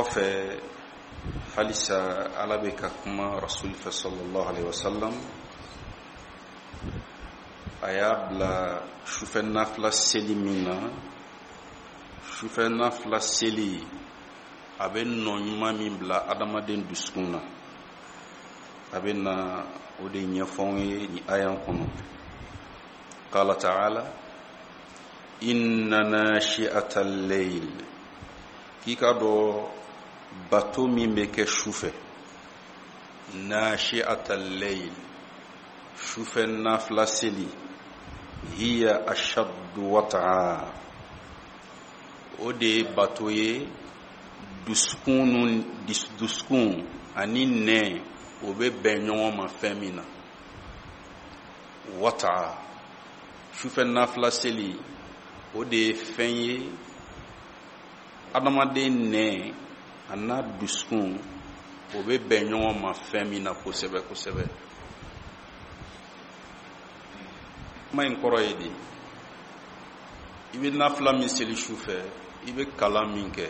Kɔfɛ, halisa Ala bɛ ka kuma Rasuli fɛ sallallahu alaihi wasallam. A y'a bila sufɛ nafila seli min na, sufɛ nafila seli a bɛ nɔ ɲuman min bila adamaden dusukun na, a bɛ na o de ɲɛfɔ anw ye nin aya kɔnɔ. Qala ta'ala inna nashi'ata al-layl, k'i k'a dɔn bato min bɛ kɛ su fɛ, nashi'ata al-layl, sufɛ nafila seli, hiya ashaddu wat'a, o de ye bato ye dusukun ani nɛn o bɛ bɛn ɲɔgɔn ma fɛn min na. Wat'a, sufɛ nafila seli o de ye fɛn ye adamaden nɛn a n'a dusukun o bɛ bɛn ɲɔgɔn ma fɛn min na kosɛbɛ kosɛbɛ. Kuma in kɔrɔ ye di? I bɛ nafila min seli su fɛ, i bɛ kalan min kɛ,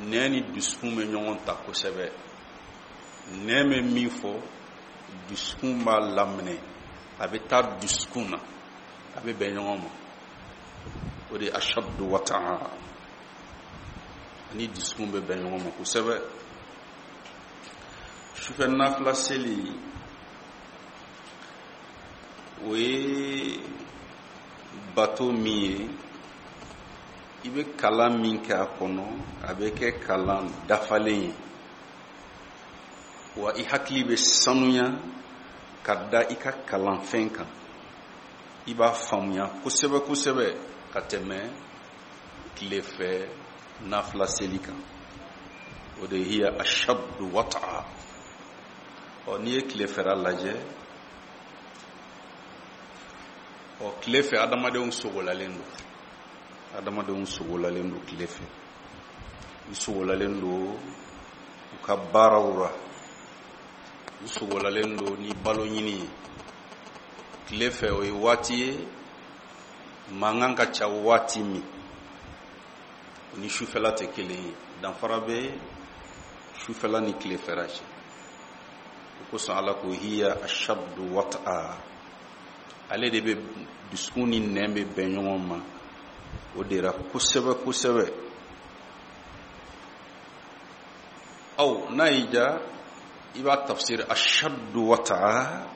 nɛn ni dusukun bɛ ɲɔgɔn ta kosɛbɛ. Nɛn bɛ min fɔ, dusukun b'a laminɛ, a bɛ taa dusukun na, a bɛ bɛn ɲɔgɔn ma. O de ye ashaddu wata'a, ani dusukun bɛ bɛn ɲɔgɔn ma kosɛbɛ. Sufɛ nafila seli o ye bato min ye, i bɛ kalan min kɛ a kɔnɔ, a bɛ kɛ kalan dafalen ye, wa i hakili bɛ sanuya ka da i ka kalanfɛn kan, i b'a faamuya kosɛbɛ kosɛbɛ ka tɛmɛ tilefɛ nafila seli kan. O de ye hiya ashaddu wata'a. Ɔ, n'i ye tilefɛla lajɛ, ɔ, tile fɛ adamadenw sogolalen don, adamadenw sogolalen don tile fɛ, u sogolalen don u ka baaraw ra, u sogolalen don ni balo ɲini ye tile fɛ. O ye waati ye mankan ka ca waati min, o ni sufɛla tɛ kelen ye. Danfara bɛ sufɛla ni tilefɛla cɛ. O kosɔn Ala ko hiya ashaddu wat'a, ale de bɛ dusukun ni nɛn bɛ bɛn ɲɔgɔn ma o de ra kosɛbɛ kosɛbɛ. Aw n'a y'i diya, i b'a tafsir ashaddu wat'a,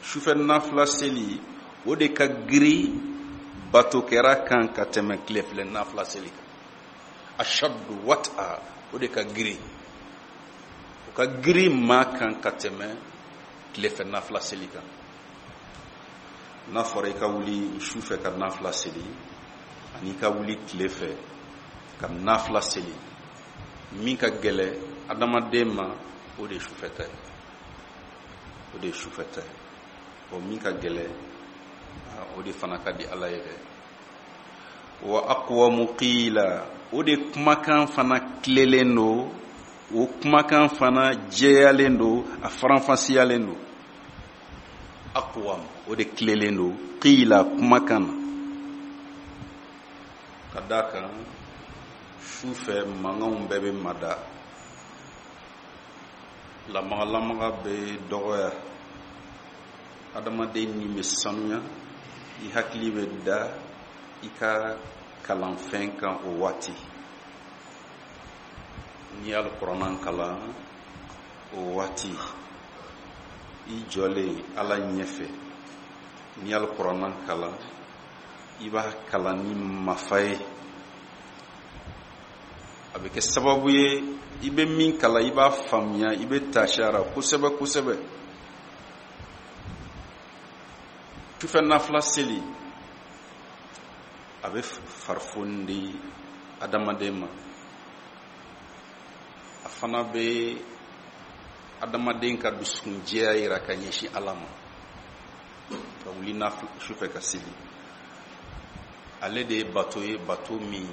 sufɛ nafila seli o de ka girin bato kɛra kan ka tɛmɛ tilefilɛ nafila seli kan. Ashaddu wat'a, o de ka girin, o ka girin maa kan ka tɛmɛ tilefɛ nafila seli kan. N'a fɔra i ka wuli su fɛ ka nafila seli ani i ka wuli tile fɛ ka nafila seli, min ka gɛlɛ adamaden ma, o de ye sufɛ ta ye, o de ye sufɛ ta ye. O min ka gɛlɛ, o de fana ka di Ala ye dɛ. Wa aqwamu qila, o de kumakan fana tilelen don, o kumakan fana jɛyalen don, a faranfasiyalen don. Aqwam, o de tilelen don qila kumakan na, ka d'a kan su fɛ mankanw bɛɛ bɛ mada, lamagalamaga bɛ dɔgɔya, adamaden ni bɛ sanuya, i hakili bɛ da i ka kalanfɛn kan o waati. N'i ye alikuranna kalan o waati, i jɔlen Ala ɲɛfɛ, n'i ye alikuranna kalan, i b'a kalan ni mafa ye, a bɛ kɛ sababu ye i bɛ min kalan i b'a faamuya, i bɛ taasi a ra kosɛbɛ kosɛbɛ. Sufɛ nafila seli a bɛ farifoni di adamaden ma, a fana bɛ adamaden ka dusukunjɛya yira ka ɲɛsin Ala ma. Ka wuli sufɛ ka seli, ale de ye bato ye, bato min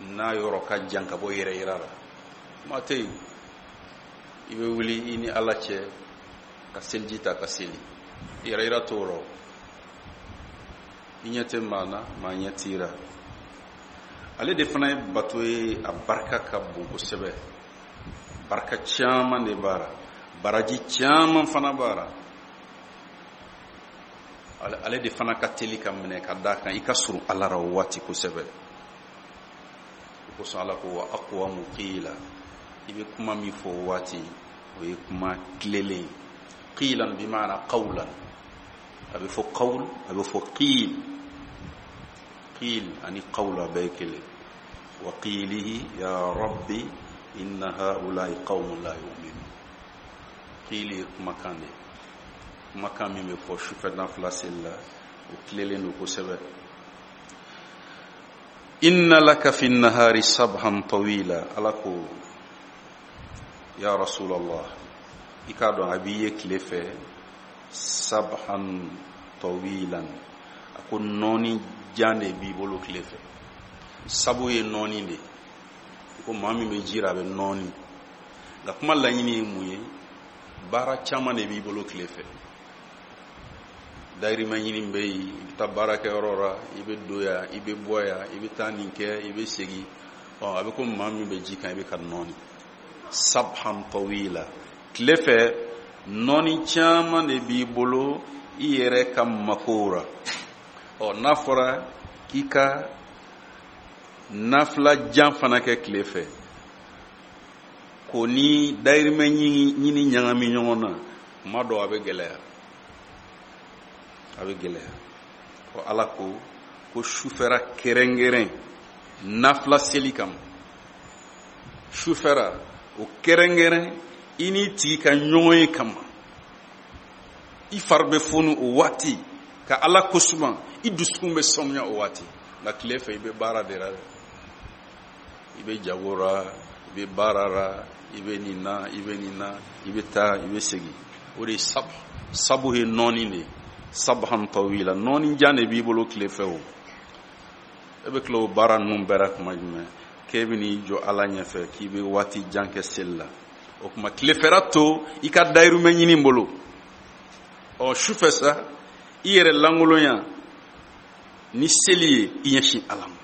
n'a yɔrɔ ka jan ka bɔ yɛrɛ yira la. Kuma tɛ yen, i bɛ wuli i ni Ala cɛ ka seliji ta ka seli, yɛrɛ yira t'o rɔ, i ɲɛ tɛ maa na, maa ɲɛ t'i ra. Ale de fana ye bato ye, a barika ka bon kosɛbɛ, barika caman de b'a la, baraji caman fana b'a la. Ale de fana ka teli ka minɛ ka d'a kan i ka surun Ala ra o waati kosɛbɛ. O kosɔn Ala ko wa aqwamu qila, i bɛ kuma min fɔ o waati, o ye kuma tilelen ye. Qilan bi maana qawlan, a bɛ fɔ qawl, a bɛ fɔ qil. Qil ani qawl a bɛɛ ye kelen. Wa qilihi ya rabbi inna haula'i qawmun la yu'minun. Qili ye kumakan de ye, kumakan min bɛ fɔ sufɛ nafila seli la, o tilelen don kosɛbɛ. Inna laka fi nahari sabhan tawila. Ala ko ya rasulallah, i k'a dɔn a b'i ye tile fɛ sabhan tawilan, a ko nɔɔni jan de b'i bolo tile fɛ. Sabu ye nɔɔni de ye, ko maa min bɛ ji la a bɛ nɔɔni. Nka kuma laɲini ye mun ye? Baara caman de b'i bolo tile fɛ. Dayirimɛ ɲini bɛ yen, i bɛ taa baarakɛyɔrɔ la, i bɛ don yan, i bɛ bɔ yan, i bɛ taa nin kɛ, i bɛ segin. A bɛ ko maa min bɛ ji kan, i bɛ ka nɔɔni. Sabhan tawila, tile fɛ nɔɔni caman de b'i bolo i yɛrɛ ka makow la. N'a fɔra k'i ka nafila jan fana kɛ tile fɛ, k'o ni dayirimɛ ɲini ɲagami ɲɔgɔn na, kuma dɔw a bɛ gɛlɛya, a bɛ gɛlɛya. Ala ko ko sufɛra kɛrɛnkɛrɛn nafila seli kama, sufɛra o kɛrɛnkɛrɛn i n'i tigi ka ɲɔgɔn ye kama, i fari bɛ foni o waati ka Ala kosuma, i dusukun bɛ sanuya o waati. Nka tile fɛ i bɛ baara de la dɛ, i bɛ jago la, i bɛ baara la, i bɛ nin na, i bɛ nin na, i bɛ taa, i bɛ segin. O de ye sabu. Sabu ye nɔɔni de ye, sabhan tawila, nɔɔni jan de b'i bolo tile fɛ. O e bɛ tila o baara ninnu bɛɛ la tuma jumɛn k'e bɛ n'i jɔ Ala ɲɛfɛ k'i bɛ waati jan kɛ seli la? O tuma tilefɛla to i ka dayirimɛ ɲini bolo. Sufɛ sa, i yɛrɛ lankolonya ni seli ye, i ɲɛsin Ala ma.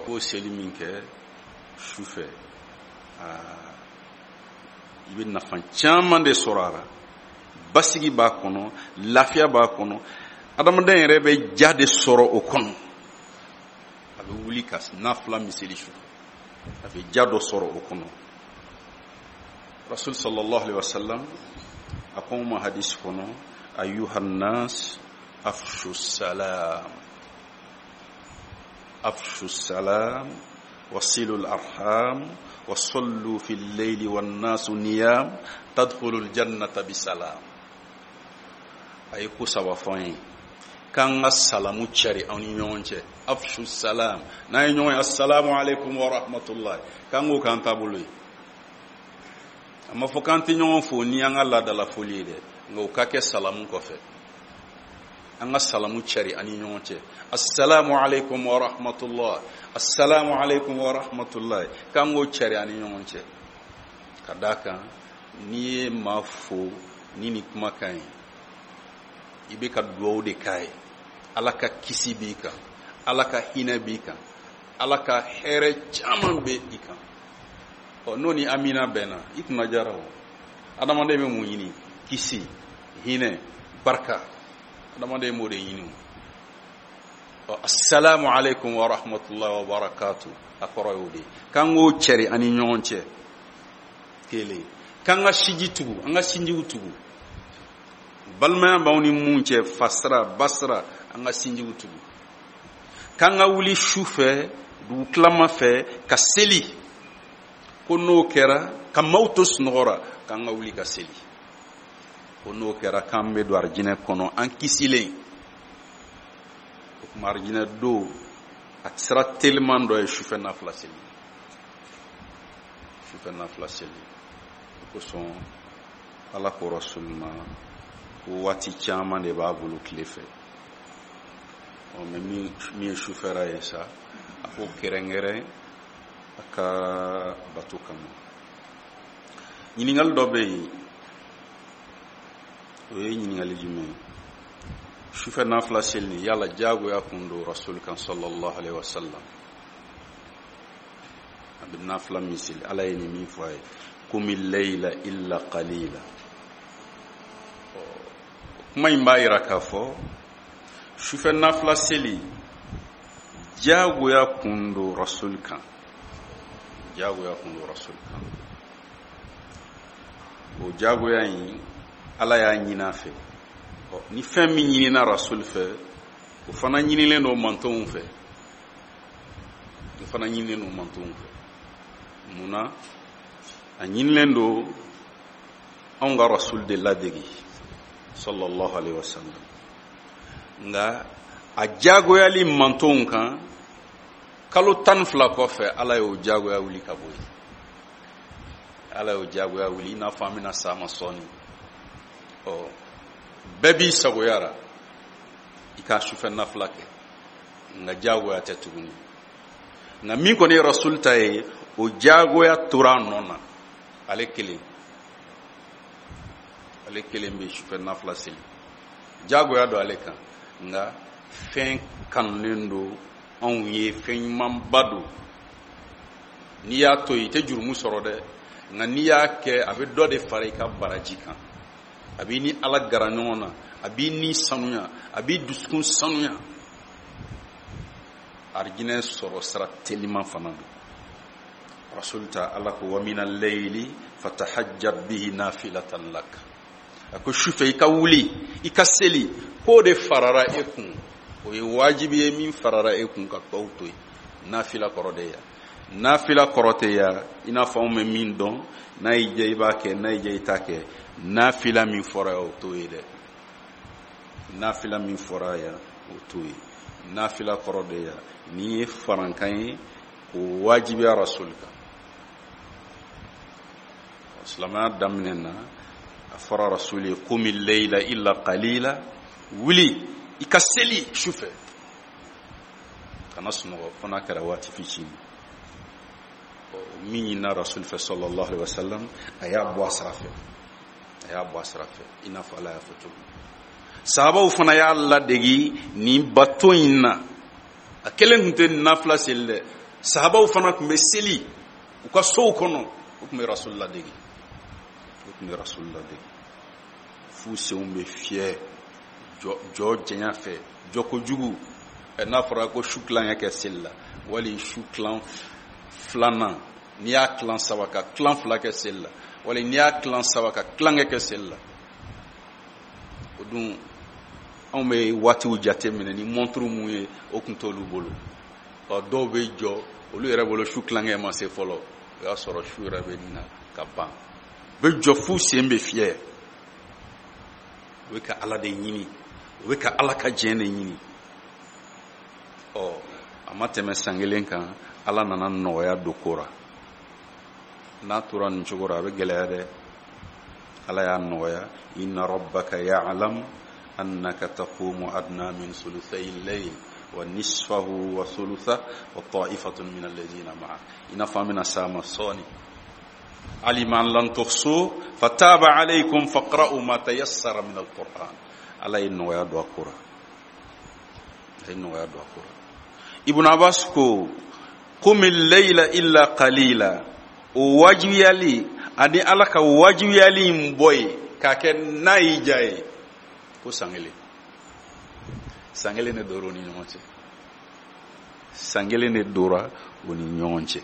K'o seli min kɛ sufɛ, i bɛ nafa caman de sɔrɔ a la. Basigi b'a kɔnɔ, lafiya b'a kɔnɔ, adamaden yɛrɛ bɛ ja de sɔrɔ o kɔnɔ. A bɛ wuli ka nafila min seli sufɛ, a bɛ ja dɔ sɔrɔ o kɔnɔ. Rasul sallallahu alaihi wasallam a ko ma hadisi kɔnɔ, ayuhan nas afshu salam, afshu salam wasilu al-arham wasallu fi al-layli wan-nasu niyam tadkhulu al-jannata bisalam. A ye ko saba fɔ an ye k'an ka salamu cari aw ni ɲɔgɔn cɛ. Afshu salam, n'an ye ɲɔgɔn ye assalamu alaikum wa rahmatullah, k'an k'o k'an taabolo ye. A ma fɔ k'an tɛ ɲɔgɔn fo ni an ka laadala foli ye dɛ, nka o ka kɛ salamu kɔfɛ. An ka salamu cari an ni ɲɔgɔn cɛ, assalamu alaikum wa rahmatullah, assalamu alaikum wa rahmatullah, k'an k'o cari an ni ɲɔgɔn cɛ. Ka d'a kan n'i ye maa fo ni nin kumakan ye, i bɛ ka duwawu de k'a ye. Ala ka kisi b'i kan, Ala ka hinɛ b'i kan, Ala ka hɛrɛ caman bɛ i kan. N'o ni amina bɛnna, i kunna diyara o. Adamaden bɛ mun ɲini? Kisi, hinɛ, barika. Adamaden b'o de ɲini o. Assalamu alaikum wa rahmatullahi wa barakatuh, a kɔrɔ y'o de ye. K'an k'o cɛri an ni ɲɔgɔn cɛ. Kelen, k'an ka sinji tugu, an ka sinjiw tugu. Balimaya b'anw ni mun cɛ, fasira, basira, an ka sinjiw tugu. K'an ka wuli su fɛ, dugu tilama fɛ, ka seli. Ko n'o kɛra, ka maaw to sunɔgɔ la, k'an ka wuli ka seli. Ko n'o kɛra, k'an bɛ don arijinɛ kɔnɔ, an kisilen. O tuma arijinɛ don, a sira teliman dɔ ye sufɛ nafila seli. Sufɛ nafila seli. O kosɔn Ala ko Rasul ma ko waati caman de b'a bolo tile fɛ. Mɛ min ye sufɛra ye sa, a ko kɛrɛnkɛrɛn a ka bato kama. Ɲininkali dɔ bɛ yen, o ye ɲininkali jumɛn ye? Sufɛ nafila seli nin, yala jagoya kun don rasul kan sallallahu alaihi wasallam? A bɛ nafila min seli, Ala ye nin min fɔ a ye, qumi layla illa qalila. Kuma in b'a yira k'a fɔ sufɛ nafila seli jagoya kun don rasul kan, jagoya kun don rasul kan. O jagoya in, Ala y'a ɲini a fɛ. Ni fɛn min ɲinina rasul fɛ, o fana ɲinilen don mantonw fɛ, o fana ɲinilen don mantonw fɛ. Mun na a ɲinilen don anw ka rasul de ladegi sallallahu alaihi wasallam, nka a jagoyali mantonw kan kalo 12 kɔfɛ, Ala y'o jagoya wuli ka bɔ yen. Ala y'o jagoya wuli, i n'a fɔ an bɛna s'a ma sɔɔni. Bɛɛ b'i sagoya ra i ka sufɛ nafila kɛ, nka jagoya tɛ tuguni. Nka min kɔni ye rasul ta ye, o jagoya tora a nɔ na. Ale kelen, ale kelen bɛ sufɛ nafila seli, jagoya don ale kan, nka fɛn kanunen don anw ye, fɛn ɲumanba don. N'i y'a to yen, i tɛ jurumu sɔrɔ dɛ, nka n'i y'a kɛ, a bɛ dɔ de fara i ka baraji kan, a b'i ni Ala gara ɲɔgɔn na, a b'i ni sanuya, a b'i dusukun sanuya. Arijinɛ sɔrɔ sira teliman fana don. Rasul ta, Ala ko wa mina layli fatahajjat bihi nafilatan lak. A ko sufɛ i ka wuli i ka seli, k'o de farara e kun, o ye wajibi ye min farara e kun ka tɔw to yen. Nafila kɔrɔ de ya, nafila kɔrɔ tɛ ya i n'a fɔ anw bɛ min dɔn, n'a y'i diya i b'a kɛ, n'a y'i diya i t'a kɛ. Nafila min fɔra yan, o t'o ye dɛ. Nafila min fɔra yan, o t'o ye. Nafila kɔrɔ de ya nin ye farankan ye k'o wajibiya rasul kan. Silamɛya daminɛ na, a fɔra rasul ye qumi layla illa qalila, wuli i ka seli sufɛ, kana sunɔgɔ fo n'a kɛra waati fitinin. Min ɲinina rasul fɛ sallallahu alaihi wasallam, a y'a bɔ a sira fɛ, a y'a bɔ a sira fɛ, i n'a fɔ Ala y'a fɔ cogo min. Sahabaw fana y'a ladegi nin bato in na. A kelen tun tɛ nafila seli dɛ, sahabaw fana tun bɛ seli u ka sow kɔnɔ, u tun bɛ rasul ladegi, u tun bɛ rasul ladegi f'u senw bɛ fiyɛ jɔ janya fɛ, jɔ kojugu. N'a fɔra ko su tilankɛ kɛ seli la, wali su tilan filanan, n'i y'a tilan saba ka tilan fila kɛ seli la, wali n'i y'a tilan saba ka tilankɛ kɛ seli la, o dun anw bɛ waatiw jate minɛ ni montre mun ye, o tun t'olu bolo. Dɔw bɛ jɔ olu yɛrɛ bolo su tilankɛ ma se fɔlɔ, o y'a sɔrɔ su yɛrɛ bɛ nin na ka ban. U bɛ jɔ f'u sen bɛ fiyɛ, u bɛ ka Ala de ɲini, u bɛ ka Ala ka diɲɛ de ɲini. A ma tɛmɛ san kelen kan, Ala nana nɔgɔya don ko ra. N'a tora nin cogo ra, a bɛ gɛlɛya dɛ. Ala y'a nɔgɔya, inna rabbaka ya'lam annaka taqumu adna min thuluthay al-layl wa nisfahu wa thulutha wa ta'ifatun min alladhina ma'ak. I n'a fɔ an bɛna s'a ma sɔɔni. Alima an lan tuhsu fataba alaykum faqra'u ma tayassara min al-Qur'an. Ala ye nɔgɔya don a ko ra, a ye nɔgɔya don a ko ra. Ibn Abbas ko qumi al-layla illa qalila, o wajibiyali ani Ala ka wajibiyali in bɔ yen k'a kɛ n'a y'i diya ye, ko san kelen, san kelen de dora o ni ɲɔgɔn cɛ, san kelen de dora o ni ɲɔgɔn cɛ.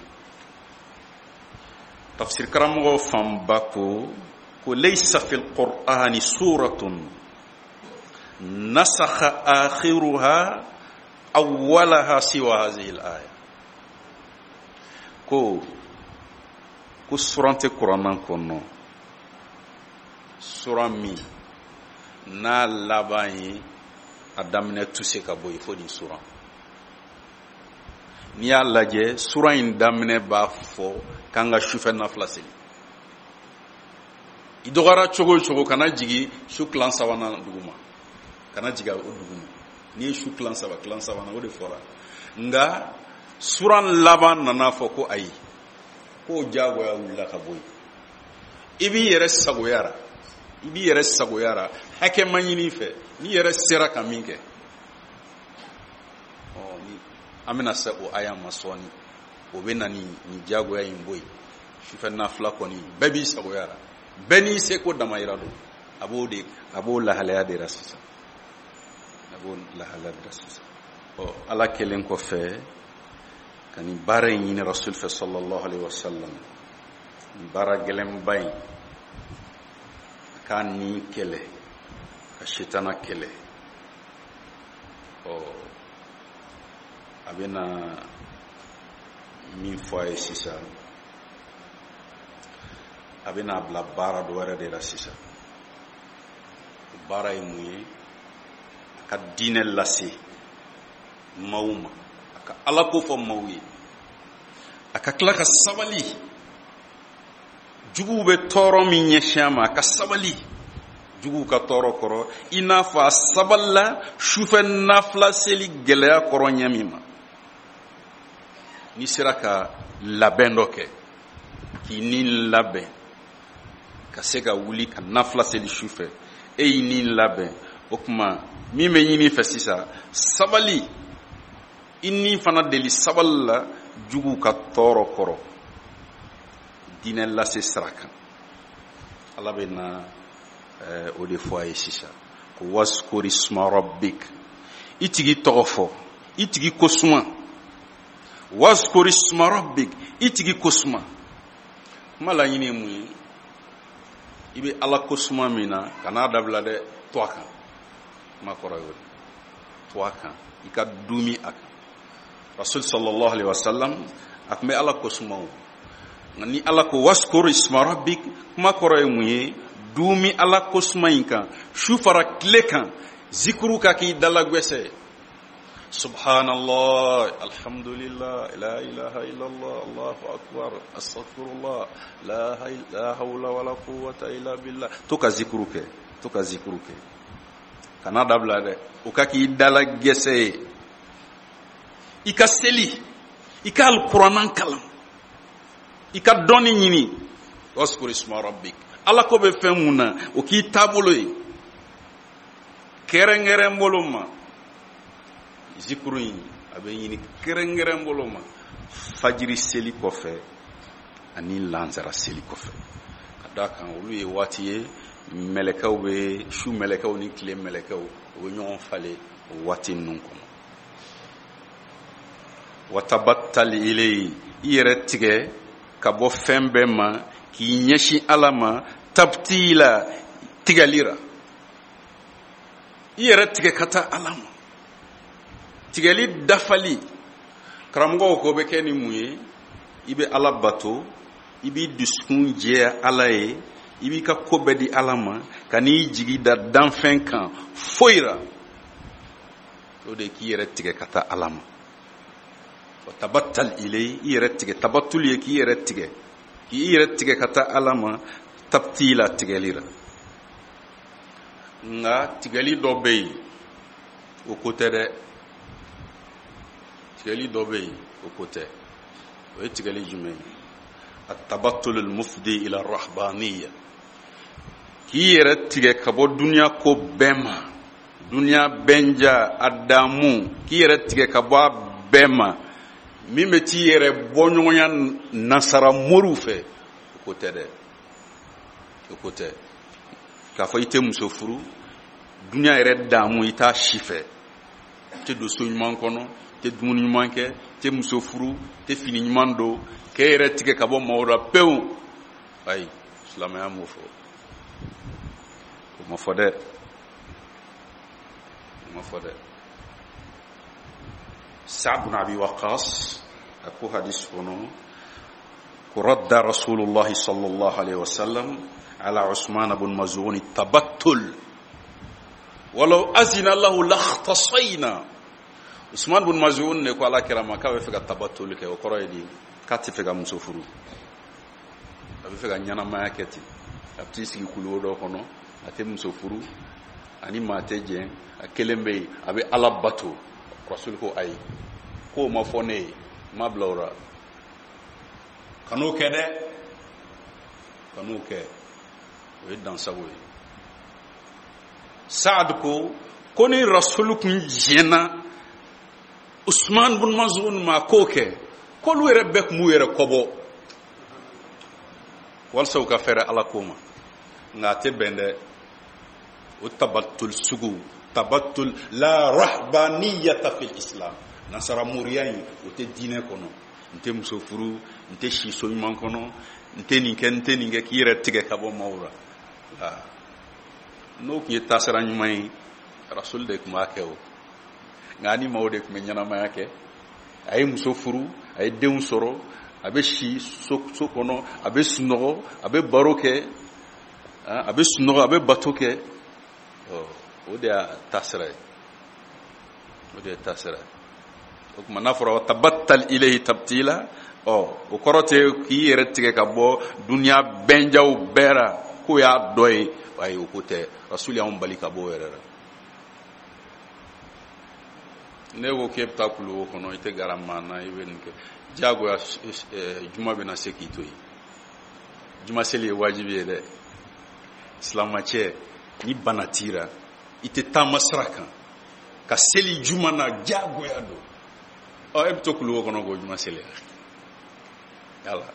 Tafsir karamɔgɔ fanba ko ko laysa fil qur'ani suratun nasakha akhiruha awwalaha siwa hadhihi al-aya. Ko ko suran tɛ kuranna kɔnɔ, suran min n'a laban ye a daminɛ tuse ka bɔ yen fo nin suran. N'i y'a lajɛ, suran in daminɛ b'a fɔ k'an ka sufɛ nafila seli. I dɔgɔyara cogo o cogo, kana jigin su tilan sabanan duguma, kana jigin o duguma. N'i ye su tilan saba, tilan sabanan, o de fɔra. Nka suran laban nana fɔ ko ayi, k'o diyagoya wulila ka bɔ yen. I b'i yɛrɛ sagoya ra. I b'i yɛrɛ sagoya ra, hakɛ ma ɲini i fɛ, n'i yɛrɛ sera ka min kɛ. Ɔ ni an bɛna se o aya ma sɔɔni, o bɛ na ni nin diyagoya in bɔ yen. Sufɛ nafila kɔni, bɛɛ b'i sagoya ra, bɛɛ n'i seko damayira don. A b'o de, a b'o lahalaya de ra sisan, a b'o lahalaya de ra sisan. Ɔ Ala kɛlen kɔfɛ ka nin baara in ɲini Rasul fɛ sallallahu alaihi wasallam, nin baara gɛlɛnba in, a k'a ni kɛlɛ ka setana kɛlɛ. Ɔ a bɛna min fɔ a ye sisan, a bɛna a bila baara dɔ wɛrɛ de la sisan. O baara ye mun ye? A ka diinɛ lase maaw ma, a ka Ala ko fɔ maaw ye, a ka tila ka sabali juguw bɛ tɔɔrɔ min ɲɛsin a ma, a ka sabali juguw ka tɔɔrɔ kɔrɔ, i n'a fɔ a sabalila sufɛ nafila seli gɛlɛya kɔrɔ ɲɛ min ma. N'i sera ka labɛn dɔ kɛ, k'i ni labɛn ka se ka wuli ka nafila seli sufɛ, e y'i ni labɛn, o tuma min bɛ ɲini i fɛ sisan, sabali, i ni fana deli sabali la juguw ka tɔɔrɔ kɔrɔ diinɛ lase sira kan. Ala bɛ na o de fɔ a ye sisan ko waskuri isma rabbik, i tigi tɔgɔ fɔ, i tigi ko suma. Waskuri isma rabbik, i tigi ko suma. Kuma laɲini ye mun ye? I bɛ Ala ko suma min na, kan'a dabila dɛ, to a kan. Kuma kɔrɔ y'o de, to a kan, i ka dumi a kan. Rasul sallallahu alaihi wasallam a tun bɛ Ala ko suma o, nka ni Ala ko waskuri isma rabbik, kuma kɔrɔ ye mun ye? Dumi Ala ko suma in kan, su fara tile kan, zikuru ka k'i dalagwɛsɛ. Subhanallah, alhamdulillah, la ilaha illallah, Allahu akbar, astaghfirullah, la hawla wala quwwata illa billah. To ka zikuru kɛ, to ka zikuru kɛ, kana dabila dɛ, o ka k'i dalagɛsɛ ye. I ka seli, i ka alikuranna kalan, i ka dɔnni ɲini. Waskuri isma rabbik, Ala ko bɛ fɛn mun na, o k'i taabolo ye. Kɛrɛnkɛrɛn bolo ma, zikuru in a bɛ ɲini kɛrɛnkɛrɛn bolo ma fajiri seli kɔfɛ ani lansara seli kɔfɛ, ka d'a kan olu ye waati ye mɛlɛkɛw bɛ su, mɛlɛkɛw ni tile mɛlɛkɛw u bɛ ɲɔgɔn falen o waati ninnu kɔnɔ. Watabattal ilayhi, i yɛrɛ tigɛ ka bɔ fɛn bɛɛ ma k'i ɲɛsin Ala ma, tabtila, tigɛli ra, i yɛrɛ tigɛ ka taa Ala ma, tigɛli dafali. Karamɔgɔw ko bɛ kɛ ni mun ye? I bɛ Ala bato, i b'i dusukun jɛya Ala ye, i b'i ka ko bɛɛ di Ala ma, ka n'i jigi da danfɛn kan foyi ra. O de ye k'i yɛrɛ tigɛ ka taa Ala ma. Wa tabattal ilayhi, i yɛrɛ tigɛ, tabattul ye k'i yɛrɛ tigɛ, k'i yɛrɛ tigɛ ka taa Ala ma, tabtila, tigɛli ra. Nka tigɛli dɔ bɛ yen, o ko tɛ dɛ. Tigɛli dɔ bɛ yen, o ko tɛ. O ye tigɛli jumɛn ye? At-tabattul al-mufdi ila ar-rahbaniyya, k'i yɛrɛ tigɛ ka bɔ duniya ko bɛɛ ma, duniya bɛnja a damu, k'i yɛrɛ tigɛ ka bɔ a bɛɛ ma, min bɛ t'i yɛrɛ bɔ ɲɔgɔnya nasara moriw fɛ, o ko tɛ dɛ, o ko tɛ. K'a fɔ i tɛ muso furu, duniya yɛrɛ damu i t'a si fɛ, i tɛ don so ɲuman kɔnɔ, i tɛ dumuni ɲuman kɛ, i tɛ muso furu, i tɛ fini ɲuman don, k'e yɛrɛ tigɛ ka bɔ maaw la pewu. Ayi, silamɛya m'o fɔ, o ma fɔ dɛ, o ma fɔ dɛ. Sa'd bin Abi Waqqas a ko hadis kɔnɔ ko radda Rasulullah sallallahu alaihi wasallam ala Usman ibn Maz'un tabattul walau azina lahu lakhtasayna. Usman ibn Maz'un ne ko Ala kira ma k'a bɛ fɛ ka tabattul kɛ, o kɔrɔ ye di? K'a tɛ fɛ ka muso furu, a bɛ fɛ ka ɲɛnamaya kɛ ten, a bɛ t'i sigi kuluwo dɔ kɔnɔ, a tɛ muso furu, ani maa tɛ jɛn, a kelen bɛ yen, a bɛ Ala bato. Rasul ko ayi, k'o ma fɔ ne ye, n ma bila o la, kan'o kɛ dɛ, kan'o kɛ, o ye dansago ye. Saad ko ko ni Rasulu kun diɲɛna Usman bun Mazun ma k'o kɛ, k'olu yɛrɛ bɛɛ tun b'u yɛrɛ kɔbɔ walasa u ka fɛrɛ Ala ko ma. Nka a tɛ bɛn dɛ, o tabatul sugu, tabatul la rahbaniyata fil islam, nasara moriya in o tɛ diinɛ kɔnɔ. N tɛ muso furu, n tɛ si so ɲuman kɔnɔ, n tɛ nin kɛ, n tɛ nin kɛ, k'i yɛrɛ tigɛ ka bɔ maaw la. N'o tun ye taasira ɲuman ye, Rasul de tun b'a kɛ o. Nka ani maaw de tun bɛ ɲɛnamaya kɛ. A ye muso furu, a ye denw sɔrɔ, a bɛ si so kɔnɔ, a bɛ sunɔgɔ, a bɛ baro kɛ, a bɛ sunɔgɔ, a bɛ bato kɛ. O de y'a taasira ye, o de ye taasira ye. O tuma n'a fɔra tabattal ilayhi tabtila, o kɔrɔ tɛ k'i yɛrɛ tigɛ ka bɔ duniya bɛnjaw bɛɛ ra k'o y'a dɔ ye. Ayi, o ko tɛ. Rasul y'anw bali ka bɔ o yɛrɛ la. Ne ko k'e bɛ taa kuluwo kɔnɔ, i tɛ gara maa na, i bɛ nin kɛ diyagoya, juma bɛna se k'i to yen. Juma seli ye wajibi ye dɛ. Silamacɛ, ni bana t'i ra, i tɛ taama sira kan ka seli juma na, diyagoya don. E bɛ to kuluwo kɔnɔ k'o juma seli yala.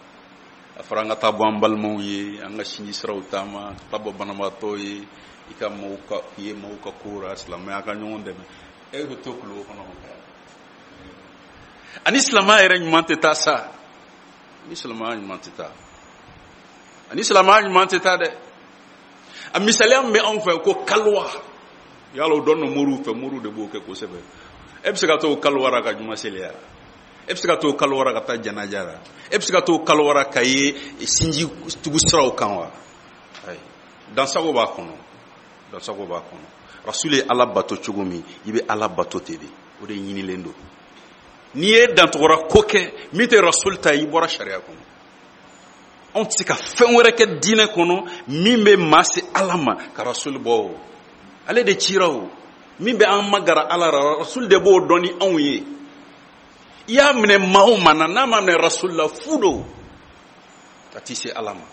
A fɔra an ka taa bɔ an balimaw ye, an ka sinji siraw taama, ka taa bɔ banabaatɔw ye, i ka maaw ka, i ye maaw ka ko ra, silamɛya ka ɲɔgɔn dɛmɛ. E bɛ to kuluwo kɔnɔ k'o kɛ. Ani silamɛya yɛrɛ ɲuman tɛ taa sa. Ani silamɛya ɲuman tɛ taa. Ani silamɛya ɲuman tɛ taa dɛ. A misaliya min bɛ anw fɛ ko kaliwa, yala o dɔn don moriw fɛ, moriw de b'o kɛ kosɛbɛ. E bɛ se ka t'o kaliwa ra ka juma seli ya? E bɛ se ka t'o kaliwa ra ka taa janaja ra? E bɛ se ka t'o kaliwa ra ka ye sinji tugu siraw kan wa? Ayi, dansago b'a kɔnɔ, dansago b'a kɔnɔ. Rasul ye Ala bato cogo min, i bɛ Ala bato ten de, o de ɲinilen don. N'i ye dantɔgɔra ko kɛ min tɛ Rasul ta ye, i bɔra sariya kɔnɔ. Anw tɛ se ka fɛn wɛrɛ kɛ diinɛ kɔnɔ min bɛ maa se Ala ma ka Rasul bɔ o. Ale de cira o. Min bɛ an magara Ala la, Rasul de b'o dɔn ni anw ye. I y'a minɛ maa o maa na, n'a ma minɛ Rasul la, fu don, a t'i se Ala ma.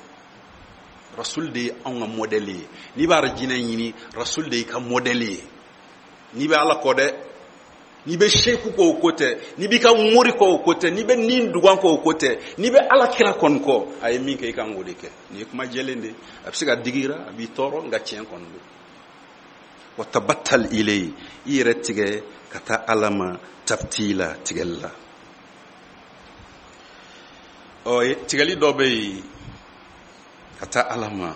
Rasul de ye anw ka modèle ye. N'i b'a jinɛ ɲini, Rasul de y'i ka modèle ye. N'i bɛ Ala kɔ dɛ, n'i bɛ seku kɔ o ko tɛ, n'i b'i ka mori kɔ o ko tɛ, n'i bɛ nin dugan kɔ o ko tɛ, n'i bɛ Ala kira kɔni kɔ, a ye min kɛ i kan k'o de kɛ. Nin ye kuma jɛlen de ye, a bɛ se ka digi i la, a b'i tɔɔrɔ, nka tiɲɛ kɔni don. Wa tabattal ilayhi, i yɛrɛ tigɛ ka taa Ala ma tabtila, tigɛli la. Tigɛli dɔ bɛ yen ka taa Ala ma,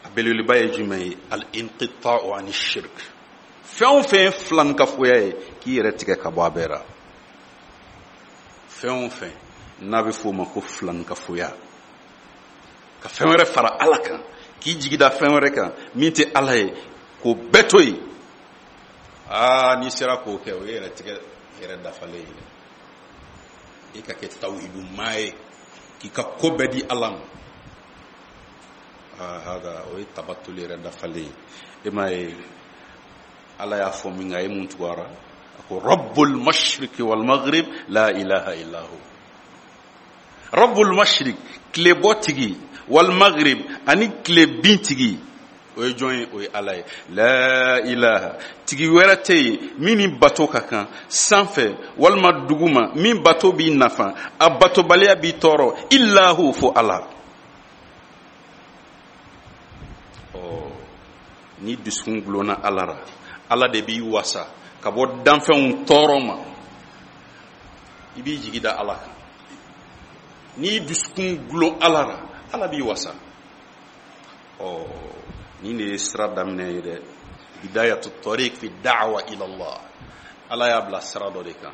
a belebeleba ye jumɛn ye? Al-inqita'u ani shirk. Fɛn o fɛn ye filankafoya ye, k'i yɛrɛ tigɛ ka bɔ a bɛɛ la. Fɛn o fɛn n'a bɛ f'o ma ko filankafoya, ka fɛn wɛrɛ fara Ala kan, k'i jigi da fɛn wɛrɛ kan min tɛ Ala ye, k'o bɛɛ to yen. N'i sera k'o kɛ, o ye yɛrɛ tigɛ yɛrɛ dafalen ye dɛ. I ka kɛ tawhidu maa ye, k'i ka ko bɛɛ di Ala ma. Hada o ye tabatuli yɛrɛ dafalen ye. E m'a ye Ala y'a fɔ min kan, a ye mun tugu a ra? A ko Rabbul mashriqi wal maghrib la ilaha illa hu. Rabbul mashriq, tilebɔ tigi, wal maghrib ani tilebin tigi, o ye jɔn ye? O ye Ala ye. La ilaha, tigi wɛrɛ tɛ yen min ni bato ka kan sanfɛ walima duguma, min bato b'i nafa, a batobaliya b'i tɔɔrɔ, illa hu, fo Ala. Ni dusukun gulonna Ala la, Ala de b'i wasa ka bɔ danfɛnw tɔɔrɔ ma. I b'i jigi da Ala kan. N'i dusukun gulon Ala la, Ala b'i wasa. Nin de ye sira daminɛ ye dɛ. Bidayatu tariq fi da'wa ila Allah. Ala y'a bila sira dɔ de kan.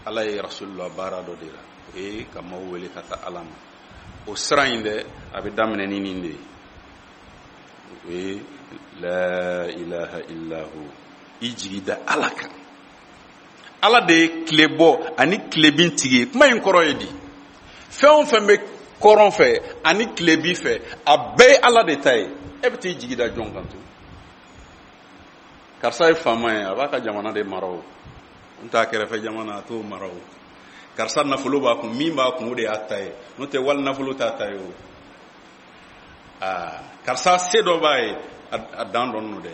Ala ye Rasulullah baara dɔ de la, o ye ka maaw wele ka taa Ala ma. O sira in dɛ, a bɛ daminɛ ni nin de ye. O ye la ilaha illahu, i jigi da Ala kan. Ala de ye tile bɔ ani tilebin tigi ye. Kuma in kɔrɔ ye di? Fɛn o fɛn bɛ kɔrɔn fɛ ani tilebin fɛ, a bɛɛ ye Ala de ta ye. E bɛ t'i jigi da jɔn kan tun? Karisa ye faama ye, a b'a ka jamana de mara o. N t'a kɛrɛfɛ jamana, a t'o mara o. Karisa nafolo b'a kun, min b'a kun o de y'a ta ye, n'o tɛ wali nafolo t'a ta ye o. Aa, karisa se dɔ b'a ye, a dan dɔnnen don dɛ,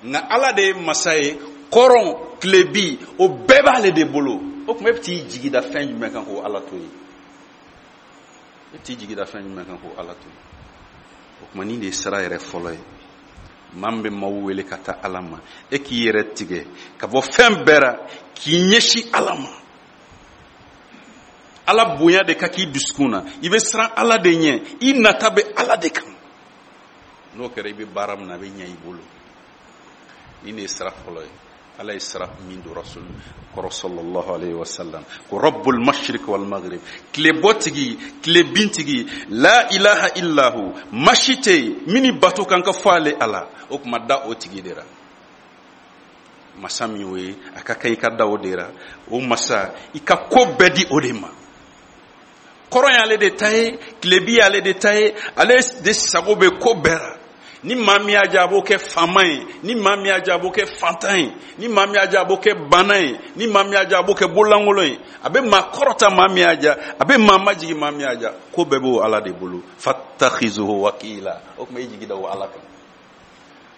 nka Ala de ye masa ye, kɔrɔn tilebi o bɛɛ b'ale de bolo. O tuma e bɛ t'i jigi da fɛn jumɛn kan k'o Ala to yen? E bɛ t'i jigi da fɛn jumɛn kan k'o Ala to yen? O tuma nin de ye sira yɛrɛ fɔlɔ ye. Maa min bɛ maaw wele ka taa Ala ma, e k'i yɛrɛ tigɛ ka bɔ fɛn bɛɛ ra k'i ɲɛsin Ala ma. Ala bonya de ka k'i dusukun na, i bɛ siran Ala de ɲɛ, i nata bɛ Ala de kan. N'o kɛra, i bɛ baara min na, a bɛ ɲɛ i bolo. Nin de ye sira fɔlɔ ye. Ala ye sira min don Rasul kɔrɔ sallallahu alayhi wa sallam, ko rabbul mashriq wal maghrib, tile bɔ tigi, tile bin tigi, la ilaha illahu, masi tɛ yen min ni bato kan ka fɔ ale Ala. O tuma da o tigi de ra. Masa min y'o ye, a ka kan i ka da o de ra. O masa, i ka ko bɛɛ di o de ma. Kɔrɔn y'ale de ta ye, tilebi y'ale de ta ye, ale de sago bɛ ko bɛɛ ra. Ni maa min y'a diya, a b'o kɛ faama ye, ni maa min y'a diya, a b'o kɛ fantan ye, ni maa min y'a diya, a b'o kɛ bana ye, ni maa min y'a diya, a b'o kɛ bololankolon ye. A bɛ maa kɔrɔta maa min y'a diya, a bɛ maa majigin maa min y'a diya. Ko bɛɛ b'o Ala de bolo. Fattakhizuhu wakila. O tuma i jigi da o Ala kan.